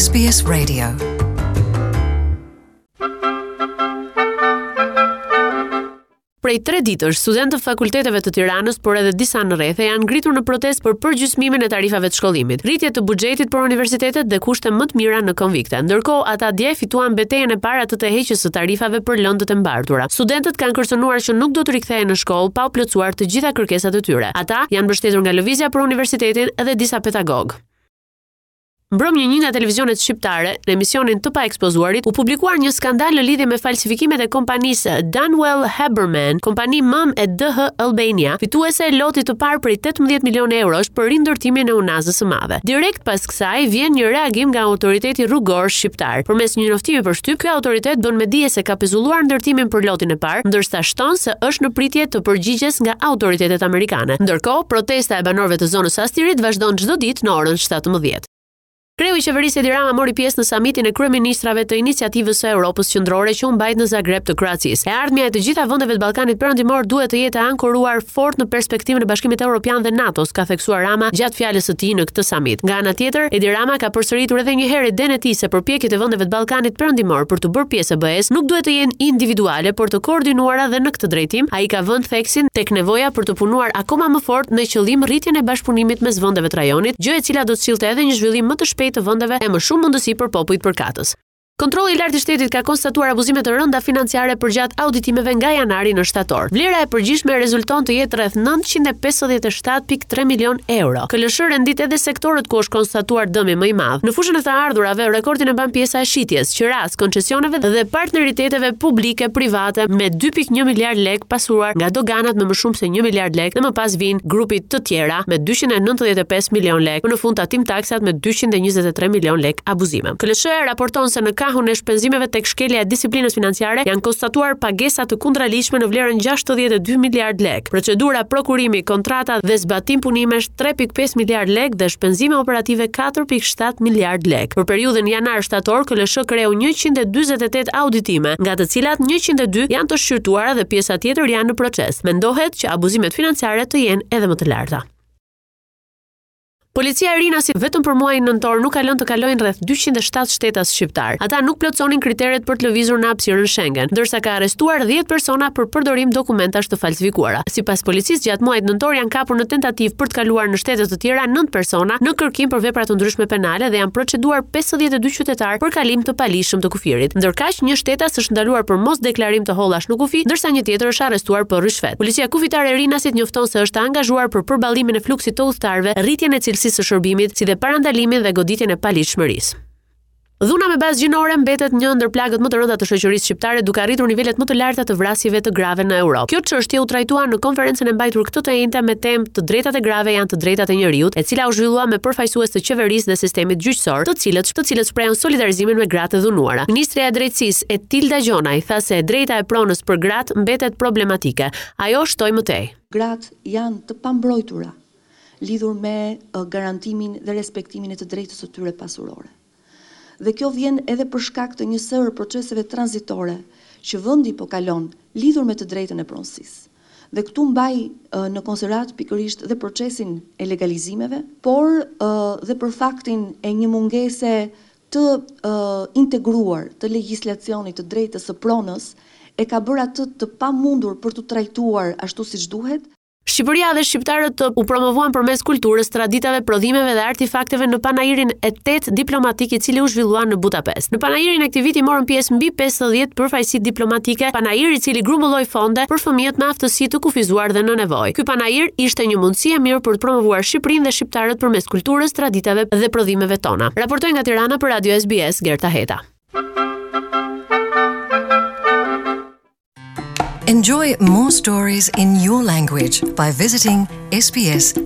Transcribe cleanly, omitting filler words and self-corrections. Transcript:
SBS Radio. Prej tre ditësh, studentë të fakulteteve të Tiranës, por edhe disa në rrethe, janë ngritur në protestë për përgjysmimin e tarifave të shkollimit, rritje të buxhetit për universitetet dhe kushte më të mira në konvikte. Ndërkohë, ata dje fituan betejën e parë atë të heqjes së tarifave për lëndët e mbartura. Studentët kanë kërcënuar që nuk do të rikthehen në shkollë pa u plotësuar të gjitha kërkesat e tyre. Ata janë mbështetur nga Lëvizja për Universitetin dhe disa pedagogë. Mbrëmë në një nga televizionet shqiptare, në emisionin Të Paekspozuarit, u publikuar një skandal në lidhje me falsifikimet e kompanisë Dunwell Haberman, kompani mëmë e DH Albania, fituese e lotit të parë prej 18 milionë eurosh për rindërtimin e Unazës së Madhe. Direkt pas kësaj vjen një reagim nga autoriteti rrugor shqiptar. Përmes një njoftimi për shtyp, ky autoritet bën me dije se ka pezulluar ndërtimin për lotin e parë, ndërsa shton se është në pritje të përgjigjes nga autoritetet amerikane. Ndërkohë, protesta e banorëve të zonës së Astirit vazhdon çdo ditë në orën 17. Kreu i qeverisë Edi Rama mori pjesë në samitin e kryeministrave të iniciativës së Europës Qendrore që u mbajt në Zagreb të Kroacisë. E ardhmja e të gjitha vendeve të Ballkanit Perëndimor duhet të jetë e ankoruar fort në perspektivën e Bashkimit Evropian dhe NATO-s, ka theksuar Rama gjatë fjalës së tij në këtë samit. Nga ana tjetër, Edi Rama ka përsëritur edhe një herë idenë e tij se përpjekjet e vendeve të Ballkanit Perëndimor për t'u bërë pjesë e BE-së nuk duhet të jenë individuale, por të koordinuara dhe në këtë drejtim ai ka vënë theksin tek nevoja për të punuar akoma më fort me qëllim rritjen e bashkëpunimit mes vendeve të rajonit, gjë e cila do të sillte edhe një zhvillim më të shpejtë të vendeve e më shumë mundësi për popujt përkatës. Kontrolli i Lartë i Shtetit ka konstatuar abuzime të rënda financiare përgjatë auditimeve nga janari në shtator. Vlera e përgjithshme rezulton të jetë rreth 957.3 milionë euro. KLSH rendit edhe sektorët ku është konstatuar dëmi më i madh. Në fushën e të ardhurave, rekordin e mban pjesa e shitjes, qirasë, koncesioneve dhe partneriteteve publike-private me 2.1 miliardë lekë pasuar nga doganat me më shumë se 1 miliard lekë dhe më pas vijnë grupi të tjera me 295 milionë lekë, më në fund tatim taksat me 223 milionë lekë abuzime. KLSH-ja raporton se në kahun e shpenzimeve tek shkelja e disiplinës financiare janë konstatuar pagesa të kundraligjshme në vlerën 62 miliardë lekë, procedura prokurimi, kontrata dhe zbatim punimesh 3.5 miliardë lekë dhe shpenzime operative 4.7 miliardë lekë. Për periudhën janar-shtator, KLSH kreu 148 auditime, nga të cilat 102 janë të shqyrtuara dhe pjesa tjetër janë në proces. Mendohet që abuzimet financiare të jenë edhe më të larta. Policia e Rinasit vetëm për muajin nëntor nuk ka lënë të kalojnë rreth 207 shtetas shqiptarë. Ata nuk plotësonin kriteret për të lëvizur në hapësirën Schengen, ndërsa ka arrestuar 10 persona për përdorim dokumentash të falsifikuara. Sipas policisë, gjatë muajit nëntor janë kapur në tentativë për të kaluar në shtete të tjera 9 persona në kërkim për vepra të ndryshme penale dhe janë proceduar 52 qytetarë për kalim të paligjshëm të kufirit. Ndërkaq, një shtetas është ndaluar për mosdeklarim të hollash në kufi, ndërsa një tjetër është arrestuar për ryshfet. Policia Kufitare e Rinasit njofton se është e angazhuar për përballimin e fluksit të udhëtarëve, rritjen e cilësisë së shërbimit, si dhe parandalimin dhe goditjen e paligjshmërisë. Dhuna me bazë gjinore mbetet një ndër plagët më të rënda të shoqërisë shqiptare, duke arritur nivelet më të larta të vrasjeve të grave në Europë. Kjo çështje u trajtua në konferencën e mbajtur këtë të enjte me temë Të drejtat e grave janë të drejtat e njeriut, e cila u zhvillua me përfaqësues të qeverisë dhe sistemit gjyqësor, të cilët të cilët shprehën solidarizimin me gratë e dhunuara. Ministrja e Drejtësisë, Etilda Gjonaj, tha se e drejta e pronës për gratë mbetet problematike. Ajo shtoi më tej. Gratë janë të pambrojtura lidhur me garantimin dhe respektimin e të drejtës së tyre pasurore. Dhe kjo vjen edhe për shkak të një sërë proceseve tranzitore që vendi po kalon lidhur me të drejtën e pronësisë. Dhe këtu mbaj në konsideratë pikërisht dhe procesin e legalizimeve, por dhe për faktin e një mungese të integruar të legjislacionit të drejtës së pronës e ka bërë atë të pamundur për t'u trajtuar ashtu siç duhet. Shqipëria dhe shqiptarët u promovuan përmes kulturës, traditave, prodhimeve dhe artefakteve në panairin e tetë diplomatik i cili u zhvillua në Budapest. Në panairin e këtij viti morën pjesë mbi 50 përfaqësi diplomatike, panair i cili grumbulloi fonde për fëmijët me aftësi të kufizuar dhe në nevojë. Ky panair ishte një mundësi e mirë për të promovuar Shqipërinë dhe shqiptarët përmes kulturës, traditave dhe prodhimeve tona. Raportoi nga Tirana për Radio SBS Gerta Heta. Enjoy more stories in your language by visiting sbs.com.au.